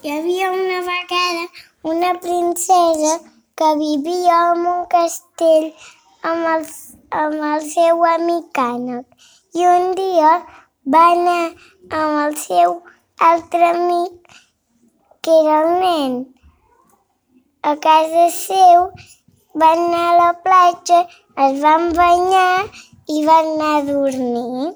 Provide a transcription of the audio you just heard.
Hi havia una vegada una princesa que vivia en un castell amb el seu amic ànec. I un dia va anar amb el seu altre amic, que era el nen, a casa seu, van anar a la platja, es van banyar i van anar a dormir.